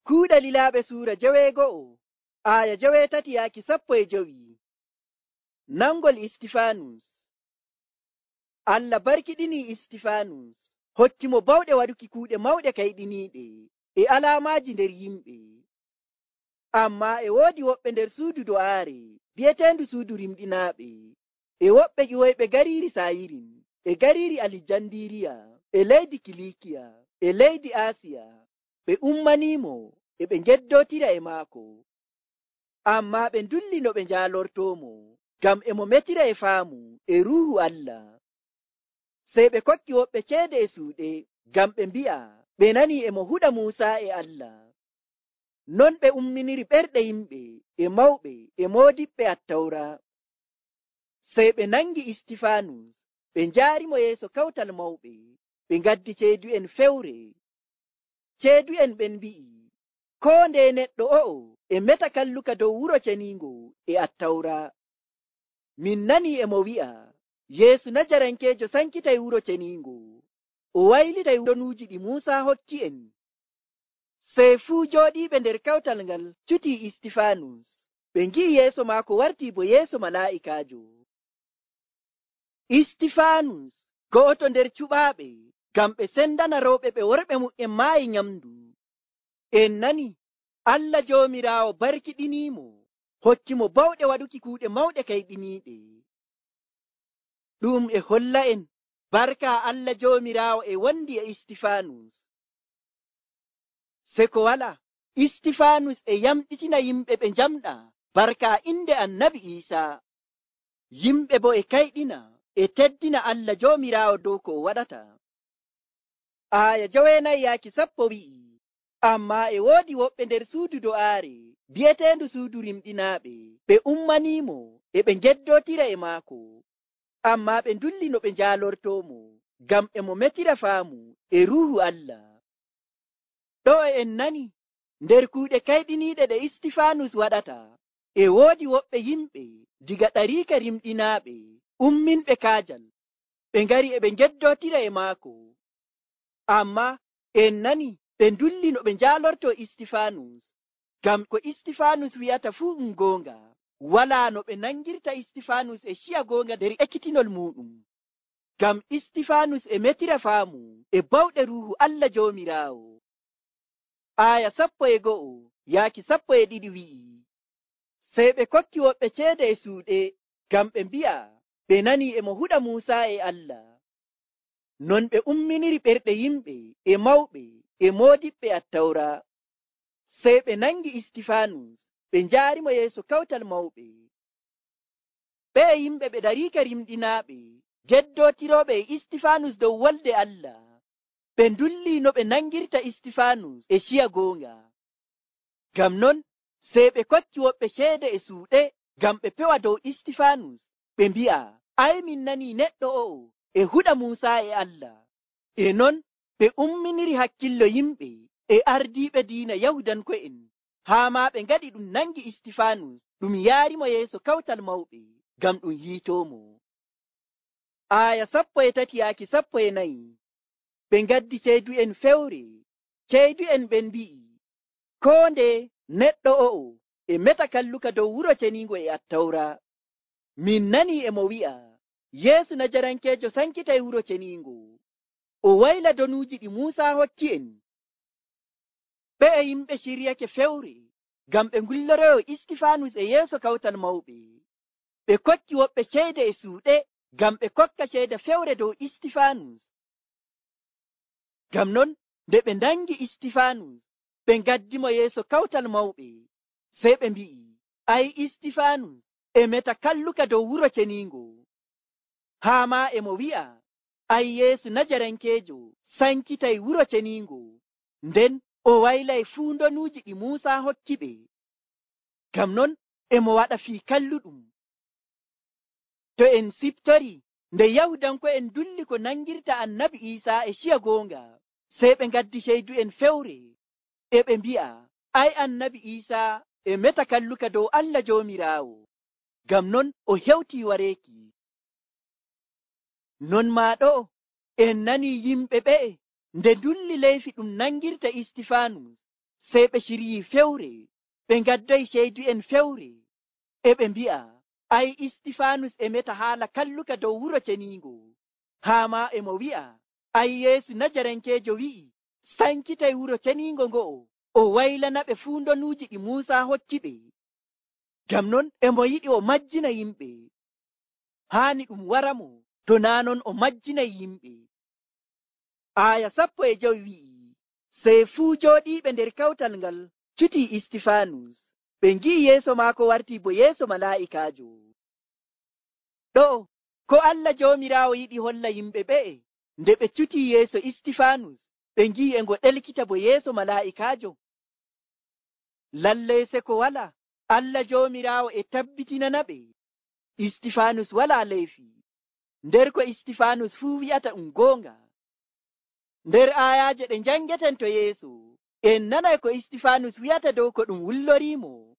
Kuuɗe Lilaaɓe suura 12 aya 13-15. Nangol Istifanus. Allah barkiɗinii Istifanus, hokki mo bawɗe waɗuki kuuɗe mawɗe kayɗiniiɗe e alaamaaji nder yimɓe. Ammaa e woodi woɓɓe nder suudu do'aare bi'eteendu suudu rimɗinaaɓe, e woɓɓe ƴiwoyɓe gariiri Sayirin, e gariiri Alijandiriya, e leydi Kilikiya, e leydi Aasiya, ɓe ummaniimo e ɓe ngeddootira e maako. Ammaa ɓe ndulli no ɓe njaalortoomo, ngam e mo metira e faamu e Ruuhu Allah. Sey ɓe kokki woɓɓe ceede e suuɗe, ngam ɓe mbi'a ɓe nanii e mo huɗa Muusa e Allah. Non ɓe umminiri ɓerɗe yimɓe e mawɓe e moodiɓɓe Attawra. Sey ɓe nangi Istifanus, ɓe njaarimo yeeso kawtal mawɓe, ɓe ngaddi ceedu'en fewre. Ceedu'en ɓen mbi'i, koo ndeye neɗɗo o'o e meta kalluka dow wuro ceniingo e Attawra. Min nanii e mo wi'a, Yeesu Najarankeejo sankitay wuro ceniingo, o waylitay donuuji ɗi Muusa hokki en. Sey fuu jooɗiiɓe nder kawtal ngal cutii Istifanus, ɓe ngi'i yeeso maako wartii bo yeeso malaa'ikaajo. Istifanus go'oto nder cuɓaaɓe, ngam ɓe sendana rewɓe ɓe worɓe mu'en maayi nyamndu. En nani, Allah Joomiraawo barkiɗiniimo, hokki mo bawɗe waɗuki kuuɗe mawɗe kayɗiniiɗe. Ɗum e holla en barka Allah Joomiraawo e wondi e Istifanus. Se ko wala, Istifanus e yamɗitina yimɓe ɓe njamɗa barka inde Annabi Iisaa. Yimɓe bo e kayɗina e teddina Allah Joomiraawo dow ko o waɗata. Aya 9-10 wi'i, ammaa e woodi woɓɓe nder suudu do'aare bi'eteendu suudu rimɗinaaɓe, ɓe ummaniimo e ɓe ngeddootira e maako. Ammaa ɓe ndulli no ɓe njaalortoomo, ngam e mo metira faamu e Ruuhu Allah. Ɗo en nani nder kuuɗe kayɗiniiɗe ɗe Istifanus waɗata, e woodi woɓɓe yimɓe diga ɗariika rimɗinaaɓe umminɓe kaajal, ɓe ngari e ɓe ngeddootira e maako. Ammaa en nani ɓe ndulli no ɓe njaalortoo Istifanus, ngam ko Istifanus wi'ata fuu goonga. Walaa no ɓe nangirta Istifanus e ciya goonga nder ekkitinol muɗum, ngam Istifanus e metira faamu e bawɗe Ruuhu Allah Joomiraawo. Aya 11-12 wi'i, sey ɓe kokki woɓɓe ceede e suuɗe, ngam ɓe mbi'a ɓe nanii e mo huɗa Muusa e Allah. Non ɓe umminiri ɓerɗe yimɓe e mawɓe e moodiɓɓe Attawra. Sey ɓe nangi Istifanus, ɓe njaarimo yeeso kawtal mawɓe. Ɓe yimɓe ɓe ɗariika rimɗinaaɓe geddootirooɓe e Istifanus dow wolde Allah, ɓe ndulli no ɓe nangirta Istifanus e ciya goonga. Ngam non sey ɓe kokki woɓɓe ceede e suuɗe, ngam ɓe pewa dow Istifanus, ɓe mbi'a, ay min nanii neɗɗo o'o e huɗa Muusa e Allah. E non ɓe umminiri hakkillo yimɓe e ardiiɓe diina Yahudanko'en, haa maa ɓe ngaɗi ɗum nangi Istifanus, ɗum yaarimo yeeso kawtal mawɓe, ngam ɗum yiitoomo. Aya 13-14. Ɓe ngaddi ceedu'en fewre. Ceedu'en ɓen mbi'i, koo nde neɗɗo o'o e meta kalluka dow wuro ceniingo e Attawra. Min nanii e mo wi'a, Yeesu Najarankeejo sankitay wuro ceniingo, o wayla donuuji ɗi Muusa hokki en. Ɓe yimɓe ciryake fewre, ngam ɓe ngulloroyo Istifanus e yeeso kawtal mawɓe. Ɓe kokki woɓɓe ceede e suuɗe, ngam ɓe kokka ceede fewre dow Istifanus. Ngam non nde ɓe ndangi Istifanus, ɓe ngaddimo yeeso kawtal mawɓe, sey ɓe mbi'i, ay Istifanus e meta kalluka dow wuro ceniingo. Haa maa e mo wi'a, ay Yeesu Najarankeejo sankitay wuro ceniingo, nden o waylay fuu ndonuuji ɗi Muusa hokki ɓe. Ngam non e mo waɗa fii kalluɗum. To en siftori, nde Yahudanko'en dulli ko nangirta Annabi Iisaa e ciya goonga, sey ɓe ngaddi ceedu'en fewre, e ɓe mbi'a, ay Annabi Iisaa e meta kalluka dow Allah Joomiraawo, ngam non o hewtii wareeki. Non maa ɗo en nanii yimɓe ɓe'e nde ndulli leyfi ɗum nangirta Istifanus, sey ɓe ciryii fewre, ɓe ngaddoyi ceydu'en fewre, e ɓe mbi'a, ay Istifanus e meta haala kalluka dow wuro ceniingo, haa ma e mo wi'a, ay Yeesu Najarankeejo wi'i, sankitay wuro ceniingo ngo'o, o waylana ɓe fuu ndonuuji ɗi Muusa hokki ɓe. Ngam non e mo yiɗi o majjina yimɓe, haani ɗum waramo to naa non o majjinay yimɓe. Aya 15 wi'i, sey fuu jooɗiiɓe nder kawtal ngal cutii Istifanus, ɓe ngi'i yeeso maako wartii bo yeeso malaa'ikaajo. Ɗo ko Allah Joomiraawo yiɗi holla yimɓe ɓe'e nde ɓe cutii yeeso Istifanus, ɓe ngi'i e ngo ɗelkita bo yeeso malaa'ikaajo? Lallay seko wala, Allah Joomiraawo e tabbitinana ɓe Istifanus walaa leyfi, nder ko Istifanus fuu wi'ata ɗum goonga. Nder aayaaje ɗe njangeten to yeeso, en nanay ko Istifanus wi'ata dow ko ɗum wulloriimo.